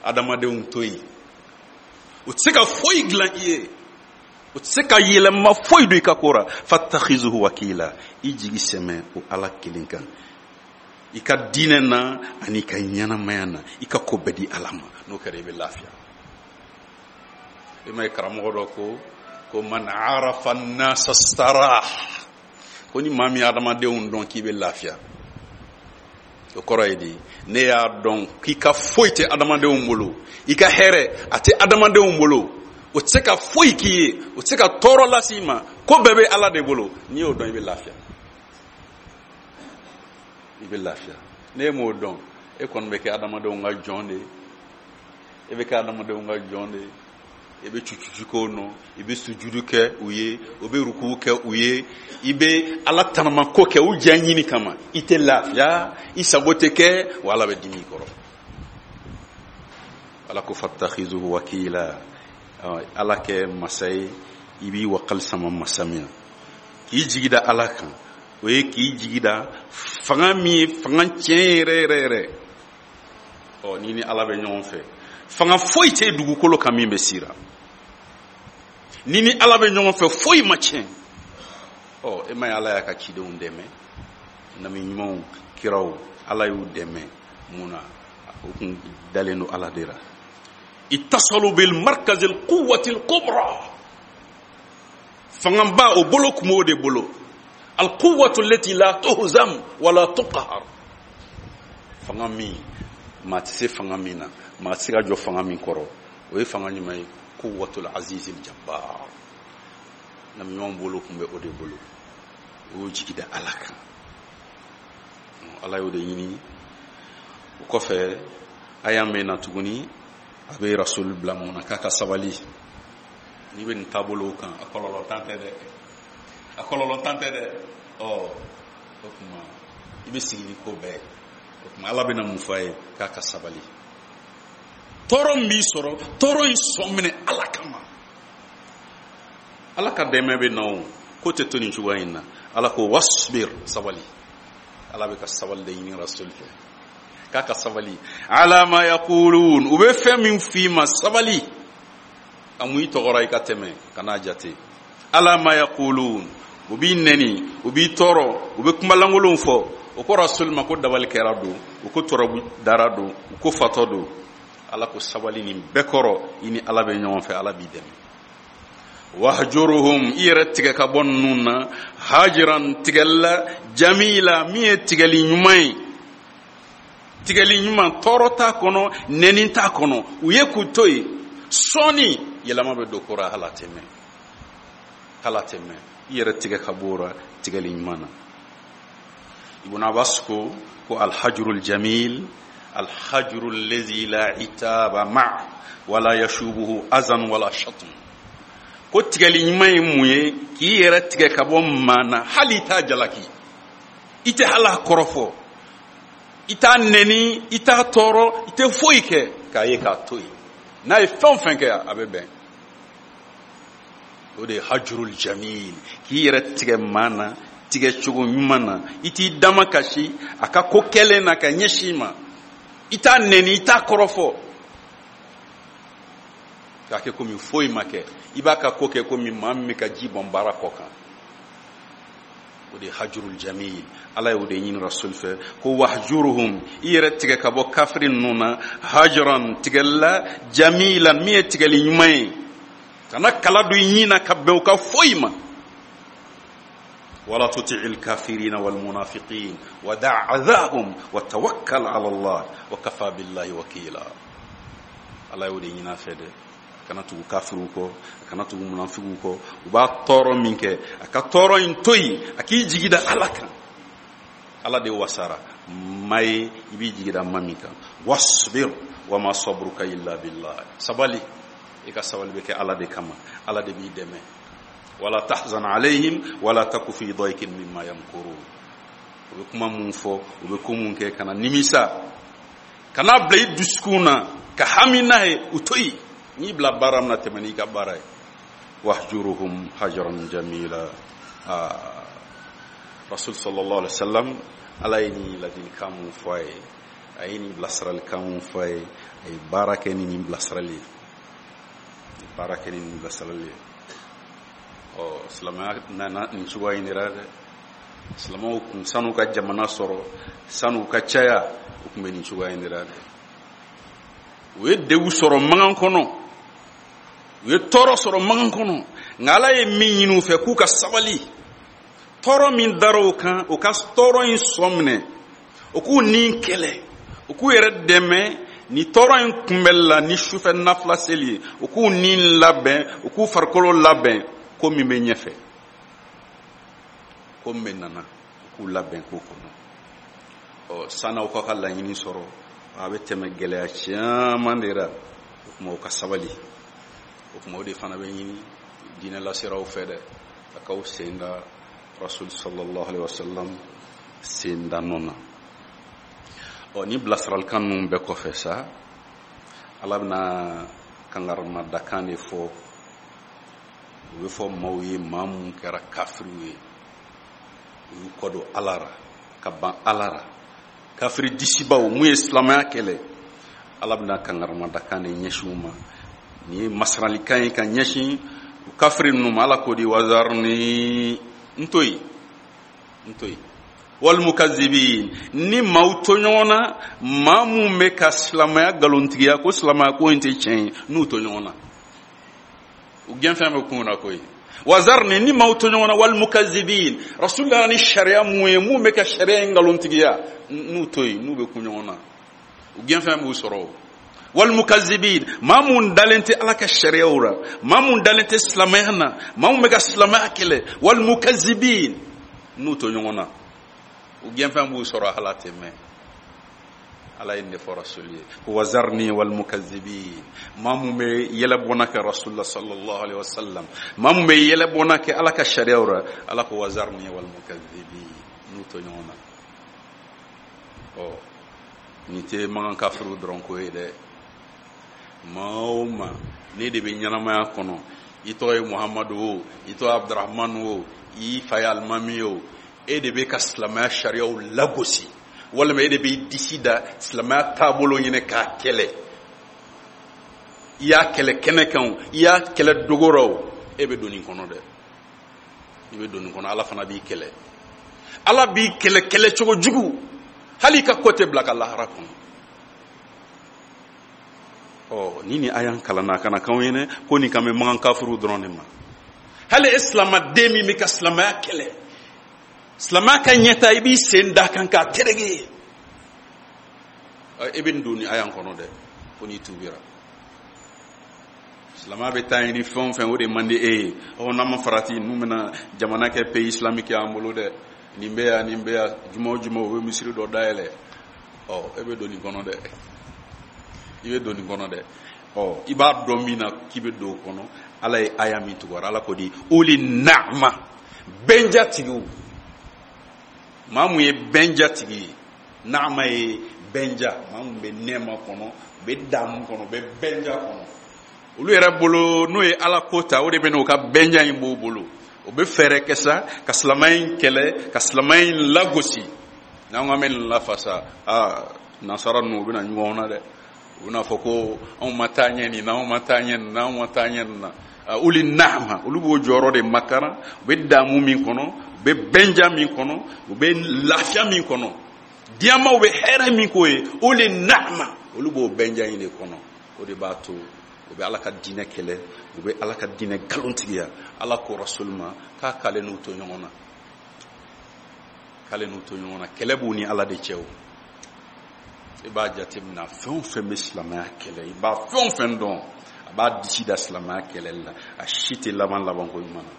Adamadenw to yen, u tɛ se ka foyi dilan i ye, u tɛ se ka yɛlɛma foyi don i ka ko ra. Fattakhizuhu wakila. I jigi sɛmɛ o Ala kelen kan, i ka diinɛ na ani i ka ɲɛnamaya na, i ka ko bɛɛ di Ala ma. N'o kɛra, i bɛ lafiya. I ma ye karamɔgɔ dɔ ko man arafa nasa sarah, ko ni maa min ye adamadenw dɔn k'i bɛ lafiya. O kɔrɔ ye di? Ne y'a dɔn k'i ka foyi tɛ adamadenw bolo, i ka hɛrɛ a tɛ adamadenw bolo, o tɛ se ka foyi k'i ye, o tɛ se ka tɔɔrɔ lase i ma, ko bɛɛ bɛ Ala de bolo. N'i y'o dɔn, i bɛ lafiya, i bɛ lafiya. N'e m'o dɔn, e kɔni bɛ kɛ adamadenw ka jɔn de ye, e bɛ kɛ adamadenw ka jɔn de ye, i bɛ cucucu k'o nɔ, i bɛ sujudu kɛ u ye, u bɛ ruku kɛ u ye, i bɛ Ala tanamako kɛ u diya ɲini kama, i tɛ lafiya, i sago tɛ kɛ, wa Ala bɛ dimi i kɔrɔ. Ala ko fattakhizuhu wakila. Ala kɛ masa ye, i b'i wakali sama masa min na, k'i jigi da Ala kan, o ye k'i jigi da fanga min ye fanga tiɲɛ yɛrɛ yɛrɛ yɛrɛ. Ni ni Ala bɛ ɲɔgɔn fɛ, fanga foyi tɛ dugukolo kan min bɛ sira. Ni ni Ala bɛ ɲɔgɔn fɛ, foyi ma tiɲɛ. E ma ye Ala y'a ka cidenw dɛmɛ, nabi ɲumanw, kiraw, Ala y'u dɛmɛ mun na? U kun dalen don Ala de la. Ittasalu bil markazil quwwatil kubra. Fangaba o bolo kun b'o de bolo. Al quwwatu allati la tuhzam wala tuqhar. Fanga min maa tɛ se fanga min na, maa tɛ se ka jɔ fanga min kɔrɔ, o ye fanga ɲuman ye, quwwatul azizil jabbar. Nabi ɲumanw bolo kun bɛ o de bolo, o y'o jigi da Ala kan. Ala y'o de ɲini. O kɔfɛ aya min na tuguni, a bɛ Rasul bila mun na? K'a ka sabali. N'i bɛ nin taabolo kan, a kɔlɔlɔ tan tɛ dɛ, a kɔlɔlɔ tan tɛ dɛ. O tuma i bɛ sigi ni ko bɛɛ ye. O tuma Ala bɛna mun fɔ a ye? K'a ka sabali. Tɔɔrɔ min b'i sɔrɔ, tɔɔrɔ in sɔn minɛ Ala kama. Ala ka dɛmɛ bɛ na o, ko tɛ to nin cogoya in na. Ala ko wasbir, sabali. Ala bɛ ka sabali de ɲini Rasul fɛ, k'a ka sabali. Ala ma yaqulun, u bɛ fɛn min f'i ma, sabali. A mun i tɔgɔra i ka tɛmɛ, kan'a jate. Ala ma yaqulun, u b'i nɛni, u b'i tɔɔrɔ, u bɛ kumalankolonw fɔ. O ko Rasul ma ko dabali kɛra don, u ko tɔrɔbu dara don, u ko fatɔ don. Ala ko sabali nin bɛɛ kɔrɔ, i ni Ala bɛ ɲɔgɔn fɛ, Ala b'i dɛmɛ. Wahjuruhum, i yɛrɛ tigɛ ka bɔ ninnu na, hajiran, tigɛli la, jamila, min ye tigɛli ɲuman ye, tigɛli ɲuman, tɔɔrɔ t'a kɔnɔ, nɛni t'a kɔnɔ, u ye k'u to yen. Sɔɔni yɛlɛma bɛ don ko ra, hali a tɛ mɛn, hali a tɛ mɛn. I yɛrɛ tigɛ ka bɔ o ra tigɛli ɲuman na. Ibn Abbas ko alhajrul jamil, alhajrul lazi la itaba ma wala yashubuhu azan wala shatm. Ko tigɛli ɲuman ye mun ye? K'i yɛrɛ tigɛ ka bɔ maa na, hali i t'a jalaki, i tɛ hali a kɔrɔfɔ, i t'a nɛni, i t'a tɔɔrɔ, i tɛ foyi kɛ, k'a ye k'a to yen. N'a ye fɛn o fɛn kɛ, a bɛ bɛn. O de ye hajrul jamil, k'i yɛrɛ tigɛ maa na tigɛ cogo ɲuman na, i t'i dama kasi a ka ko kɛlen na ka ɲɛsin i ma. I t'a nɛni, i t'a kɔrɔfɔ, k'a kɛ komi foyi ma kɛ. I b'a ka ko kɛ komi maa min bɛ ka ji bɔn baara kɔ kan. O de ye hajurul jamil. Ala y'o de ɲini Rasul fɛ ko wahjuruhum, i yɛrɛ tigɛ ka bɔ kafiri ninnu na, hajran, tigɛli la, jamilan, min ye tigɛli ɲuman ye. Kana kala don i ɲin na ka bɛn u ka foyi ma. Wala tuti'il kafirina wal munafiqin wa da' adhahum wa tawakkal ala Allah wa kafa billahi wakila. Ala y'o de ɲini a fɛ dɛ, a kana tugu kafiriw kɔ, a kana tugu munafigiw kɔ. U b'a tɔɔrɔ min kɛ, a ka tɔɔrɔ in to yen, a k'i jigi da Ala kan. Ala de wasara maa ye, i b'i jigi da maa min kan. Wasbir wa ma sabruka illa billah. Sabali, i ka sabali bɛ kɛ Ala de kama, Ala de b'i dɛmɛ. Wala tahzan alayhim wala taku fi daykin mimma yamkurun. U bɛ kuma mun fɔ, u bɛ ko mun kɛ, kana nimisa, kana bila i dusukun na ka hami n'a ye, u to yen. N'i bila baara min na, tɛmɛ n'i ka baara ye. Wahjuruhum hajran jamila. Rasul sallallahu alaihi wasallam, Ala ye nin ladilikan mun fɔ a ye, a ye nin bilasiralikan mun fɔ a ye, a ye baara kɛ ni nin bilasirali ye, a ye baara kɛ ni nin bilasirali ye. Ɔ, silamɛya nana nin cogoya in de la dɛ. Silamɛw kun san'u ka jamana sɔrɔ, san'u ka caya, u kun bɛ nin cogoya in de la dɛ. U ye degun sɔrɔ magan kɔnɔ, u ye tɔɔrɔ sɔrɔ magan kɔnɔ, nka Ala ye min ɲini u fɛ, k'u ka sabali. Tɔɔrɔ min dara u kan, u ka tɔɔrɔ in sɔn minɛ, u k'u ni kɛlɛ, u k'u yɛrɛ dɛmɛ ni tɔɔrɔ in kunbɛli la ni sufɛ nafila seli ye, u k'u ni labɛn, u k'u farikolo labɛn ko min bɛ ɲɛfɛ, ko min bɛ nana, u k'u labɛn k'o kɔnɔ. Ɔ, san'aw ka ka laɲini sɔrɔ, a bɛ tɛmɛ gɛlɛya caman de la. O tuma u ka sabali. O tuma o de fana bɛ ɲini diinɛ laseraw fɛ dɛ, a k'aw sen da Rasul sallallahu alaihi wasallam sen da nɔ na. Ɔ, ni bilasiralikan ninnu bɛɛ kɔfɛ sa, Ala bɛna kangarimadakan de fɔ. O bɛ fɔ maaw ye, maa mun kɛra kafiriw ye, u y'u kɔ don Ala ra, ka ban Ala ra, kafiri disibaw mun ye silamɛya kɛlɛ. Ala bɛna kangarimadakan de ɲɛsin u ma. Nin ye masiralikan ye ka ɲɛsin u kafiri ninnu ma. Ala k'o di wazarni, n to yen, n to yen, walmukazibin, ni maaw to ɲɔgɔn na, maa mun bɛ ka silamɛya nkalontigiya ko silamɛya ko in tɛ tiɲɛ ye, n'u to ɲɔgɔn na, u gɛnfɛn bɛ kun na koyi. Wazarni, ni maaw to ɲɔgɔn na, walmukazibin, Rasulullah ni sariya mun ye, mun bɛ ka sariya in nkalontigiya, n'u to yen, n'u bɛ kun ɲɔgɔn na, u gɛnfɛn b'u sɔrɔ o. Walmukazibin, maa mun dalen tɛ Ala ka sariyaw la, maa mun dalen tɛ silamɛya na, maa mun bɛ ka silamɛya kɛlɛ, walmukazibin, n'u to ɲɔgɔn na, u gɛnfɛn b'u sɔrɔ, ala tɛ mɛn. Ala ye nin de fɔ Rasul ye ko wazarni walmukazibin, maa mun bɛ yɛlɛbɔnna kɛ Rasulullah sallallahu alaihi wasallam, maa mun bɛ yɛlɛbɔnna kɛ Ala ka sariyaw la, Ala ko wazarni walmukazibin, n'u to ɲɔgɔn na. Ɔ, nin tɛ magan kafiriw dɔrɔn ko ye dɛ. Maa o maa ne de bɛ ɲɛnamaya kɔnɔ, i tɔgɔ ye Muhamadu o, i tɔgɔ ye Abdurahmanu o, i fa ye alimami o, e de bɛ ka silamɛya sariyaw lagosi, walima e de b'i disi da silamɛya taabolo ɲini k'a kɛlɛ, i y'a kɛlɛ kɛnɛ kan o, i y'a kɛlɛ dogo la o, e bɛ don nin kɔnɔ dɛ, i bɛ don nin kɔnɔ. Ala fana b'i kɛlɛ, Ala b'i kɛlɛ kɛlɛ cogo jugu, hali i ka ko tɛ bila ka lahara kɔnɔ. Ɔ, ni aya kalanna, a kana k'anw ye dɛ ko nin kan bɛ magan kafiriw dɔrɔn de ma. Hali e silamaden min bɛ ka silamɛya kɛlɛ, silamɛya ka ɲɛta, i b'i sen da kan k'a terege, e bɛ nin don nin aya kɔnɔ dɛ, ko n'i tubira. Silamɛya bɛ taa ɲini fɛn o fɛn, o de man di e ye. Ɔ, n'an ma farati, n'u bɛna jamana kɛ pays islamique y'an bolo dɛ, nin bɛ yan, nin bɛ yan, juma o juma u bɛ misiri dɔ dayɛlɛ. Ɔ, e bɛ don nin kɔnɔ dɛ, i bɛ don nin kɔnɔ dɛ. Ɔ, i b'a dɔn min na k'i bɛ don o kɔnɔ, Ala ye aya min tugara, Ala ko di uli naama, bɛnjatigiw, maa mun ye bɛnjatigi ye, naama ye bɛnja, maa mun bɛ nɛɛma kɔnɔ, u bɛ damu kɔnɔ, u bɛ bɛnja kɔnɔ. Olu yɛrɛ bolo n'o ye Ala ko ta, o de bɛ n'o ka bɛnja in b'o bolo. O bɛ fɛɛrɛ kɛ sa ka silamɛya in kɛlɛ, ka silamɛya in lagosi. N'an ko an bɛ nin lafasa, aa, Nasara ninnu, u bɛna ɲɔgɔn na dɛ, u bɛna fɔ ko anw ma taa ɲɛ nin na, anw ma taa ɲɛ nin na, anw ma taa ɲɛ nin na. Uli naama, olu b'o jɔyɔrɔ de makaran. U bɛ damu min kɔnɔ, u bɛ bɛnja min kɔnɔ, u bɛ lafiya min kɔnɔ, diyamaw bɛ hɛrɛ min k'o ye, uli naama, olu b'o bɛnja in de kɔnɔ. O de b'a to u bɛ Ala ka diinɛ kɛlɛ, u bɛ Ala ka diinɛ nkalontigiya. Ala ko Rasul ma k'a k'ale n'u to ɲɔgɔn na, k'ale n'u to ɲɔgɔn na. Kɛlɛ b'u ni Ala de cɛ. O i b'a jateminɛ, fɛn o fɛn bɛ silamɛya kɛlɛ, i b'a fɛn o fɛn dɔn, a b'a disi da silamɛya kɛlɛli la, a si tɛ laban labanko ɲuman na,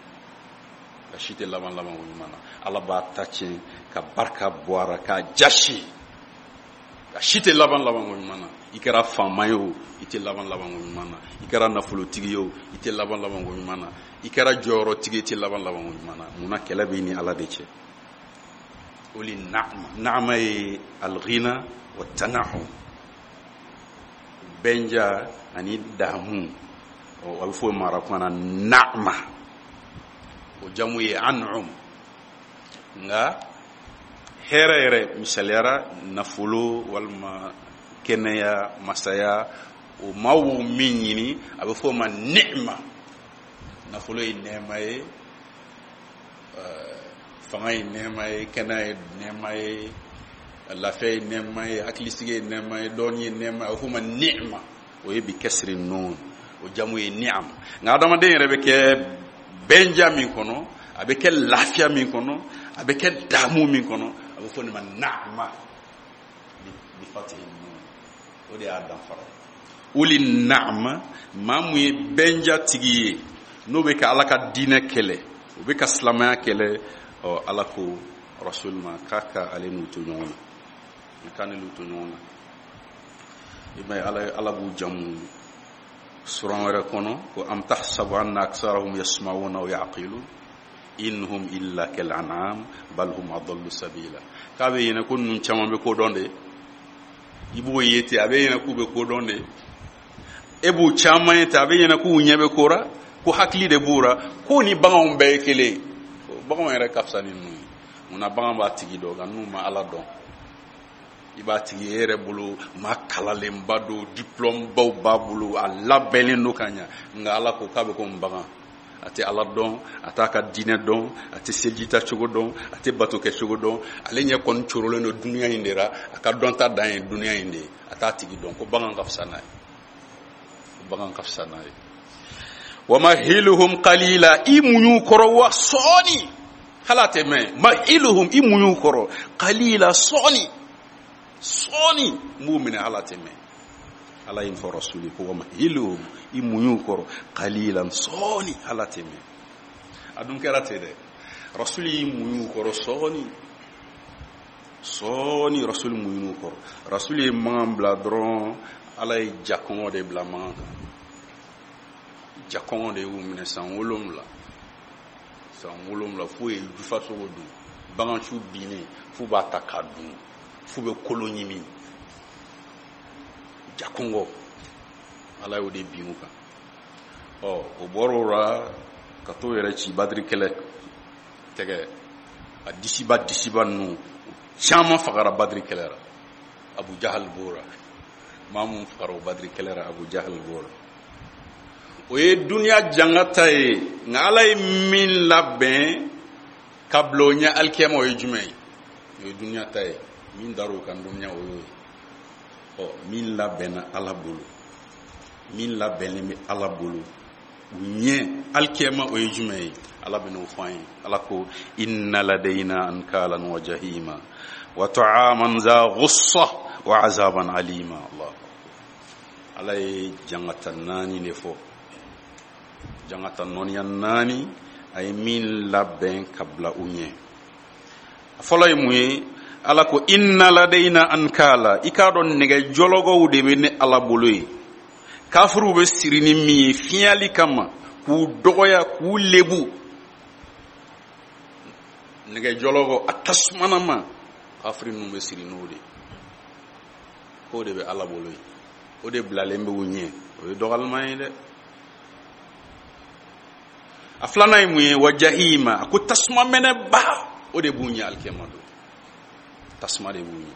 a si tɛ laban labanko ɲuman na. Ala b'a ta tiɲɛ ka barika bɔ a ra, k'a jasi. A si tɛ laban labanko ɲuman na. I kɛra faama ye o, i tɛ laban labanko ɲuman na. I kɛra nafolotigi ye o, i tɛ laban labanko ɲuman na. I kɛra jɔyɔrɔtigi ye, i tɛ laban labanko ɲuman na. Munna? Kɛlɛ b'i ni Ala de cɛ. Uli naama, naama ye alghina wa tanahum, bɛnja ani damu. A bɛ fɔ o ma arabukan na naama, o jamu ye an'um. Nka hɛrɛ yɛrɛ, misaliyara nafolo walima kɛnɛya, masaya, o maaw b'o min ɲini, a bɛ fɔ o ma ni'ma. Nafolo ye nɛɛma ye, fanga ye nɛɛma ye, kɛnɛya ye nɛɛma ye, lafiya ye nɛɛma ye, hakilisigi ye nɛɛma ye, dɔnni ye nɛɛma ye, a bɛ fɔ o ma ni'ma. O ye bi kasiri nun, o jamu ye ni'am. Nka adamaden yɛrɛ bɛ kɛ bɛnja min kɔnɔ, a bɛ kɛ lafiya min kɔnɔ, a bɛ kɛ damu min kɔnɔ, a bɛ fɔ nin ma naama bi fatihi nun. O de y'a danfara ye. Uli naama, maa mun ye bɛnja tigi ye, n'o bɛ ka Ala ka diinɛ kɛlɛ, o bɛ ka silamɛya kɛlɛ, ɔ Ala ko Rasul ma k'a ka ale n'u to ɲɔgɔn na, k'a n'u to ɲɔgɔn na. I m'a ye, Ala b'u jamu suran wɛrɛ kɔnɔ ko am tahsabu anna aksarahum yasma'una aw ya'qilun in hum illa kal an'am bal hum adallu sabila. K'a bɛ ɲinɛ ko ninnu caman bɛ ko dɔn de, i b'o ye ten, a bɛ ɲinɛ k'u bɛ ko dɔn de. E b'u caman ye ten, a bɛ ɲinɛ k'u ɲɛ bɛ ko ra, ko hakili de b'u ra, k'o ni baganw bɛɛ ye kelen ye. Baganw yɛrɛ ka fisa ni ninnu ye. Munna? Bagan b'a tigi dɔn, nka ninnu ma Ala dɔn. I b'a tigi e yɛrɛ bolo maa kalalenba don, diplôme baw b'a bolo, a labɛnnen don ka ɲa, nka Ala ko k'a bɛ komi bagan. A tɛ Ala dɔn, a t'a ka diinɛ dɔn, a tɛ selijita cogo dɔn, a tɛ bato kɛ cogo dɔn. Ale ɲɛ kɔni corolen don duniya in de la, a ka dɔnta dan ye duniya in de ye, a t'a tigi dɔn. Ko bagan ka fisa n'a ye, ko bagan ka fisa n'a ye. Wa mahiluhum qalila, i muɲu kɔrɔ wa sɔɔni, hali a tɛ mɛn. Mahiluhum, i muɲu kɔrɔ, qalila, sɔɔni sɔɔni, n b'u minɛ, hali a tɛ mɛn. Ala ye nin fɔ Rasuli ko wa mahiluhum, i muɲu kɔrɔ, qalilan, sɔɔni, hali a tɛ mɛn. A dun kɛra ten dɛ. Rasuli y'i muɲu kɔrɔ sɔɔni sɔɔni, Rasuli muɲu kɔrɔ. Rasuli ye magan bila dɔrɔn, Ala ye jakɔngɔ de bila magan kan. Jakɔngɔ de y'u minɛ san 7, san 7, f'u ye jufasogo dun, bagansu binnen f'u b'a ta k'a dun, f'u bɛ kolo ɲimi. Jakɔngɔ, Ala y'o de bin u kan. Ɔ o bɔr'o la ka t'o yɛrɛ ci Badiri kɛlɛ tɛgɛ, a disiba disiba ninnu caman fagara Badiri kɛlɛ la. Abu Jahal b'o la, maa mun fagara o Badiri kɛlɛ la, Abu Jahal b'o la. O ye duniya jangata ye. Nka Ala ye min labɛn ka bila o ɲɛ alikiyama, o ye jumɛn ye? O ye duniya ta ye. Min dar'o kan duniya, o y'o ye. Ɔ min labɛnna Ala bolo, min labɛnnen bɛ Ala bolo u ɲɛ alikiyama, o ye jumɛn ye? Ala bɛn'o fɔ an ye. Ala ko inna ladayna ankalan wa jahima wa ta'aman za ghussa wa azaban alima. Allah, Ala ye jangata 4 de fɔ, jangata nɔniya 4, a ye min labɛn ka bila u ɲɛ. A fɔlɔ ye mun ye? Ala ko inna ladayna ankala, i k'a dɔn nɛgɛ jɔlɔgɔw de bɛ ne Ala bolo ye, kafiriw bɛ siri ni min ye fiɲɛli kama, k'u dɔgɔya, k'u lebu. Nɛgɛ jɔlɔgɔ a tasumanama, kafiri ninnu bɛ siri n'o de ye, k'o de bɛ Ala bolo ye, o de bilalen bɛ u ɲɛ. O ye dɔgɔyalima ye dɛ. A filanan ye mun ye? Wa jahima, a ko tasuma mɛnɛba, o de b'u ɲɛ alikiyama don, tasuma de b'u ɲɛ.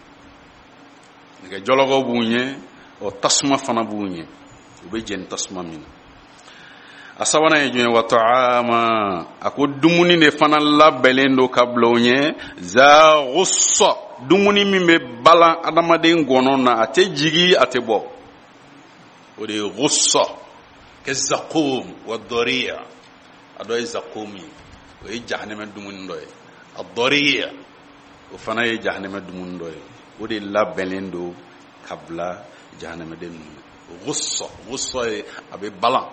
Nɛgɛ jɔlɔkɔ b'u ɲɛ, ɔ tasuma fana b'u ɲɛ, u bɛ jɛni tasuma min na. A sabanan ye jumɛn ye? Wa ta'ama, a ko dumuni de fana labɛnnen don ka bila u ɲɛ, za gussa, dumuni min bɛ balan adamaden gɔnɔ na, a tɛ jigi a tɛ bɔ, o de ye gussa. Kɛ zakum wa dɔriya, a dɔ ye zakum ye, o ye jahanɛmɛ dumuni dɔ ye, a dɔriya o fana ye jahanɛmɛ dumuni dɔ ye, o de labɛnnen don ka bila jahanɛmɛden ninnu. Gussa, gussa ye a bɛ balan,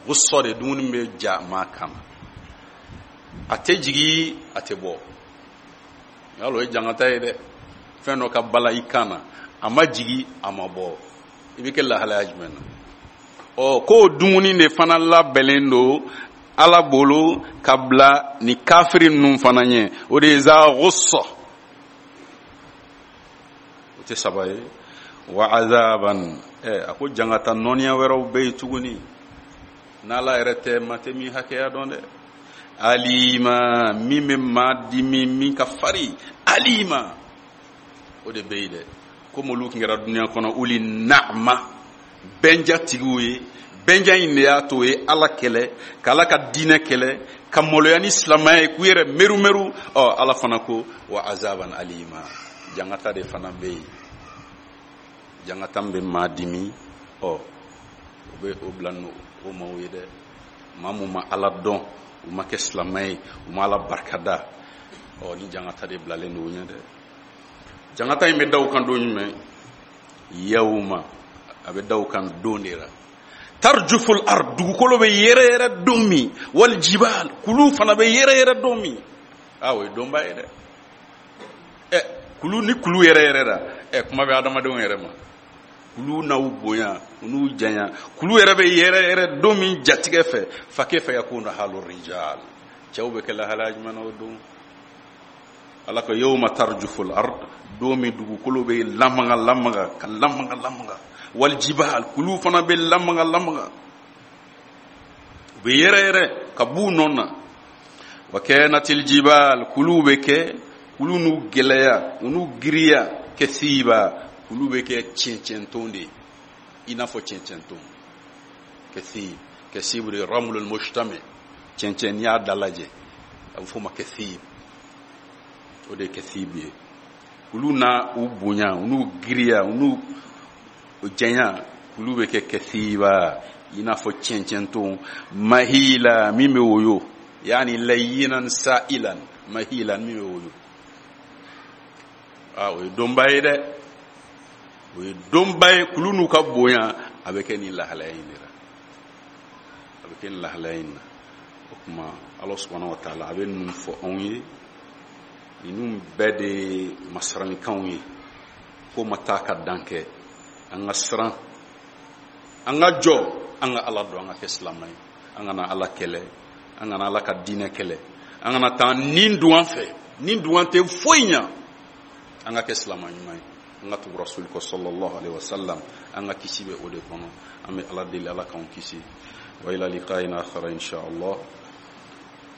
gussa de dumuni bɛ ja maa kan na, a tɛ jigi a tɛ bɔ. Yalo o ye jangata ye dɛ, fɛn dɔ ka bala i kan na, a ma jigi a ma bɔ, i bɛ kɛ lahalaya jumɛn na? Ɔ k'o dumuni de fana labɛnnen don Ala bolo ka bila ni kafiri ninnu fana ɲɛ, o de ye za gussa, o tɛ saba ye. Wa azaban, a ko jangata nɔniya wɛrɛw bɛ yen tuguni, n'Ala yɛrɛ tɛ maa tɛ min hakɛya dɔn dɛ. Alima, min bɛ maa dimi, min ka fari, alima, o de bɛ yen dɛ. Komi olu tun kɛra dunuya kɔnɔ uli naama, bɛnja tigiw ye, bɛnja in de y'a to u ye Ala kɛlɛ, ka Ala ka diinɛ kɛlɛ, ka maloya ni silamɛya ye, k'u yɛrɛ merumeru. Ɔ Ala fana ko wa azaban alima, jangata de fana bɛ yen, jangata min bɛ maa dimi, ɔ o bɛ o bila n'o o maaw ye dɛ. Maa mun ma Ala dɔn, u ma kɛ silamɛ ye, u ma Ala barikada, ɔ ni jangata de bilalen don o ɲɛ dɛ. Jangata in bɛ da u kan don jumɛn? Yawma, a bɛ da u kan don de la. Tarjuful ard, dugukolo bɛ yɛrɛ yɛrɛ don min, wal jibal, kulu fana bɛ yɛrɛ yɛrɛ don min. Aa, o ye donba ye dɛ. Ɛ kulu ni kulu yɛrɛ yɛrɛ la, ɛ kuma bɛ adamadenw yɛrɛ ma. Kulu n'aw bonya, u n'u janya, kulu yɛrɛ bɛ yɛrɛ yɛrɛ don min jatigɛ fɛ, fa kayfa yakunu halu rijal, cɛw bɛ kɛ lahalaya jumɛn na o don? Ala ko yawma tarjuful ard, don min dugukolo bɛ lamaga lamaga ka lamaga lamaga, wal jibal, kulu fana bɛ lamaga lamaga, u bɛ yɛrɛ yɛrɛ ka b'u nɔ na. Wa kanatil jibal, kulu bɛ kɛ, kulu n'u gɛlɛya, u n'u giriya, kasiba, kulu bɛ kɛ cɛncɛnton de ye, i n'a fɔ cɛncɛnton. Kasib, kasib de ramlul mujtami, cɛncɛn n'i y'a dalajɛ a bɛ f'o ma kasib, o de ye kasib ye. Kulu n'a u bonya, u n'u giriya, u n'u janya, kulu bɛ kɛ kasiba, i n'a fɔ cɛncɛnton. Mahila, min bɛ woyo, yaani layinan sa'ilan, mahilan, min bɛ woyo. Aa, o ye donba ye dɛ, o ye donba ye. Kulu n'u ka bonya, a bɛ kɛ nin lahalaya in de la, a bɛ kɛ nin lahalaya in na. O tuma Ala subahana wa taala a bɛ ninnu fɔ anw ye, ninnu bɛɛ de ye masiranikanw ye, ko ma taa ka dan kɛ. An ka siran, an ka jɔ, an ka Ala dɔn, an ka kɛ silamɛ ye, an kana Ala kɛlɛ, an kana Ala ka diinɛ kɛlɛ, an kana taa nin dun an fɛ, nin dun an tɛ foyi ɲa. An ka kɛ silamɛ ɲuman ye, an ka tugu rasuli kɔ sallallahu alaihi wasallam, an ka kisi bɛ o de kɔnɔ. An bɛ Ala deli, Ala k'anw kisi. Wa ila liqa'in akhara insha Allah.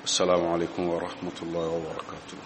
Assalamu alaikum wa rahmatullahi wa barakatuh.